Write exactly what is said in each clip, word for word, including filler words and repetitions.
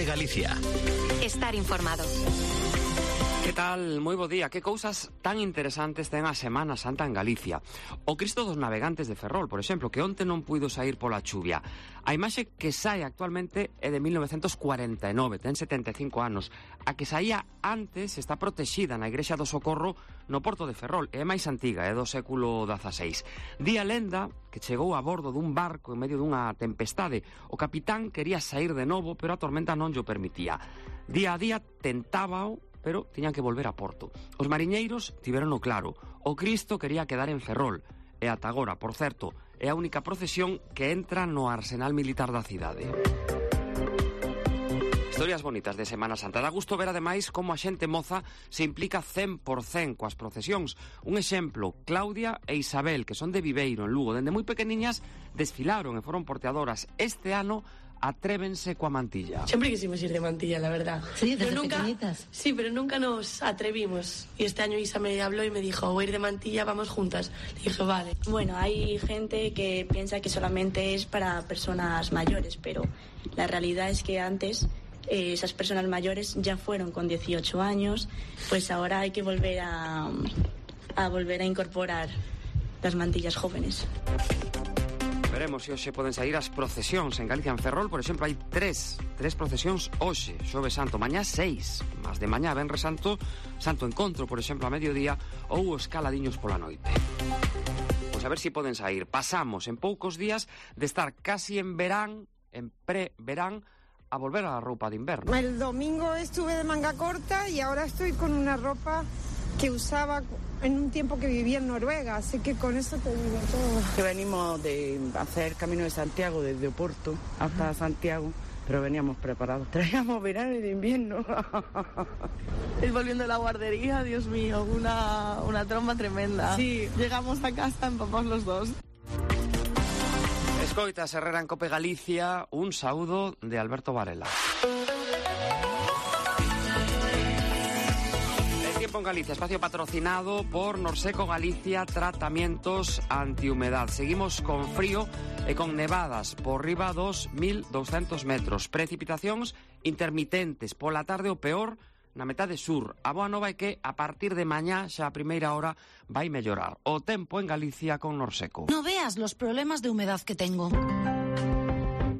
Galicia. Estar informado. Que tal? Moi bo día. Que cousas tan interesantes ten a Semana Santa en Galicia. O Cristo dos Navegantes de Ferrol, por exemplo, que onte non puido sair pola chuvia. A imaxe que sae actualmente é de mil novecentos cuarenta e nove, ten setenta e cinco anos. A que saía antes está protexida na Igrexa do Socorro no Porto de Ferrol. É máis antiga, é do século dezaseis. Di a lenda que chegou a bordo dun barco en medio dunha tempestade. O capitán quería sair de novo, pero a tormenta non llo permitía. Día a día tentábao, pero tiñan que volver a Porto. Os mariñeiros tiverono claro. O Cristo quería quedar en Ferrol. E ata agora, por certo, é a única procesión que entra no arsenal militar da cidade. Historias bonitas de Semana Santa. Dá gusto ver, ademais, como a xente moza se implica cen por cen coas procesións. Un exemplo, Claudia e Isabel, que son de Viveiro, en Lugo. Dende moi pequeniñas desfilaron e foron porteadoras. Este ano atrévense coa mantilla. Siempre quisimos ir de mantilla, la verdad. Sí, desde pero nunca, pequeñitas. Sí, pero nunca nos atrevimos. Y este año Isa me habló y me dijo, voy a ir de mantilla, vamos juntas. Le dije, vale. Bueno, hay gente que piensa que solamente es para personas mayores, pero la realidad es que antes eh, esas personas mayores ya fueron con dieciocho años, pues ahora hay que volver a, a volver a incorporar las mantillas jóvenes. Veremos se hoxe poden sair as procesións en Galicia. En Ferrol, por exemplo, hai tres tres procesións hoxe, Xoves Santo, mañá seis, mas de mañá Venres Santo, Santo Encontro, por exemplo, a mediodía, ou os caladiños pola noite. Pois a ver se poden sair. Pasamos en poucos días de estar casi en verán, en pre-verán, a volver a la roupa de inverno. El domingo estuve de manga corta y ahora estoy con una ropa que usaba en un tiempo que vivía en Noruega, así que con eso te digo todo. Que venimos de hacer Camino de Santiago desde Oporto hasta Santiago, pero veníamos preparados. Traíamos verano y de invierno. Es volviendo de la guardería, Dios mío, una, una tromba tremenda. Sí. Llegamos a casa empapados los dos. Escoitas, Herrera en Cope Galicia, un saúdo de Alberto Varela. En Galicia, espacio patrocinado por Norseco Galicia, tratamientos antihumedad. Seguimos con frío e con nevadas por riba dos mil doscientos metros. Precipitacións intermitentes pola tarde, o peor na metade sur. A boa nova é que a partir de mañá, xa a primeira hora, vai mellorar o tempo en Galicia con Norseco. No veas los problemas de humedad que tengo.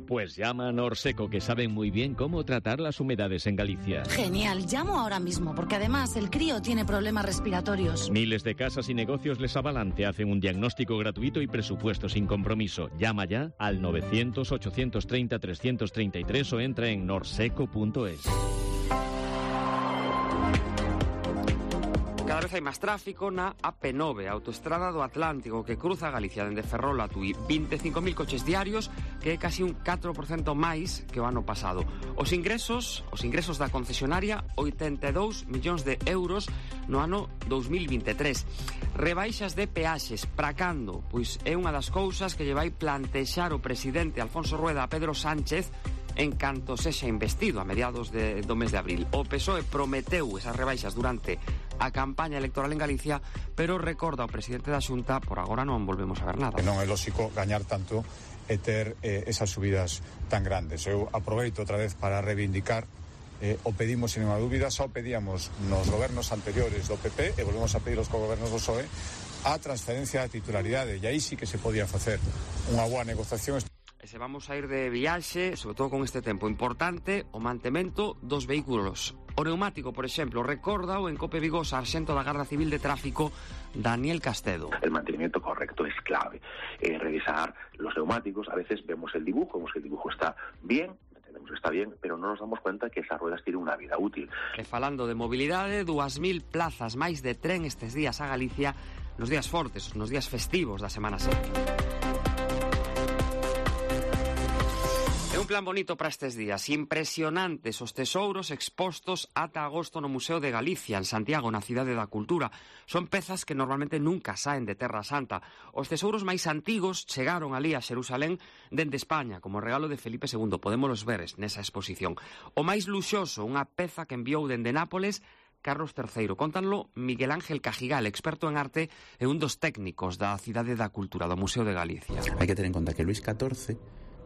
Pues llama a Norseco, que saben muy bien cómo tratar las humedades en Galicia. Genial, llamo ahora mismo, porque además el crío tiene problemas respiratorios. Miles de casas y negocios les avalan, te hacen un diagnóstico gratuito y presupuesto sin compromiso. Llama ya al novecientos, ochocientos treinta, trescientos treinta y tres o entra en norseco punto es. Cada vez hai máis tráfico na A P nove, a autoestrada do Atlántico, que cruza Galicia dende Ferrol a Tui. vinte e cinco mil coches diarios, que é casi un catro por cento máis que o ano pasado. Os ingresos, os ingresos da concesionaria, oitenta e dous millóns de euros no ano dous mil vinte e tres. Rebaixas de peaxes, para cando? Pois é unha das cousas que lle vai plantexar o presidente Alfonso Rueda a Pedro Sánchez en canto sexa investido a mediados de, do mes de abril. O P S O E prometeu esas rebaixas durante a campaña electoral en Galicia, pero recorda o presidente da Xunta, por agora non volvemos a ver nada. Non é lóxico gañar tanto e ter eh, esas subidas tan grandes. Eu aproveito outra vez para reivindicar, eh, o pedimos sin unha dúbida, só pedíamos nos gobernos anteriores do P P e volvemos a pedir aos gobernos do P S O E a transferencia da titularidade, e aí sí que se podía facer unha boa negociación. E se vamos a ir de viaxe, sobre todo con este tempo importante, o mantemento dos vehículos. O neumático, por exemplo, recorda o en Cope Vigo sarxento da Garda Civil de Tráfico, Daniel Castedo. El mantenimiento correcto es clave. Eh, revisar los neumáticos, a veces vemos el dibujo, vemos que el dibujo está bien, entendemos que está bien, pero no nos damos cuenta que esas ruedas tienen una vida útil. E falando de mobilidade, dúas mil plazas máis de tren estes días a Galicia, nos días fortes, nos días festivos da Semana Santa. É un plan bonito para estes días, impresionantes os tesouros expostos ata agosto no Museo de Galicia, en Santiago, na Cidade da Cultura. Son pezas que normalmente nunca saen de Terra Santa. Os tesouros máis antigos chegaron ali a Xerusalén dende España, como regalo de Felipe segundo. Podémolos ver nesa exposición. O máis luxoso, unha peza que enviou dende Nápoles Carlos terceiro. Cóntanlo Miguel Ángel Cajigal, experto en arte e un dos técnicos da Cidade da Cultura, do Museo de Galicia. Hai que ter en conta que Luís catorce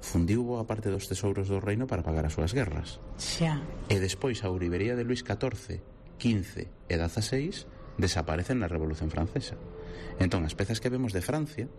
fundiu boa parte dos tesouros do reino para pagar as súas guerras. Xa. E despois a ourivería de Luís catorce, quince e dieciséis desaparecen na Revolución Francesa. Entón, as pezas que vemos de Francia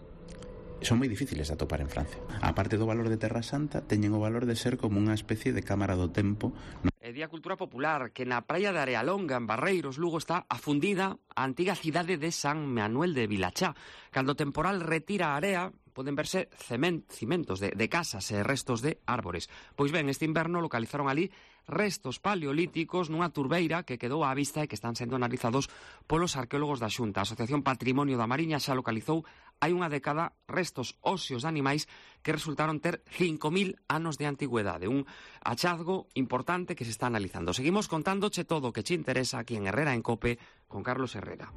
son moi difíciles de atopar en Francia. A parte do valor de Terra Santa, teñen o valor de ser como unha especie de cámara do tempo. E di a cultura popular que na praia de Arealonga, en Barreiros, Lugo, está afundida a antiga cidade de San Manuel de Vilachá. Cando o temporal retira a area, poden verse cement, cimentos de, de casas e restos de árbores. Pois ben, este inverno localizaron ali restos paleolíticos nunha turbeira que quedou á vista e que están sendo analizados polos arqueólogos da Xunta. A Asociación Patrimonio da Mariña xa localizou hai unha década restos óseos de animais que resultaron ter cinco mil anos de antigüedade. Un hachazgo importante que se está analizando. Seguimos contándoche todo o que che interesa aquí en Herrera en Cope con Carlos Herrera.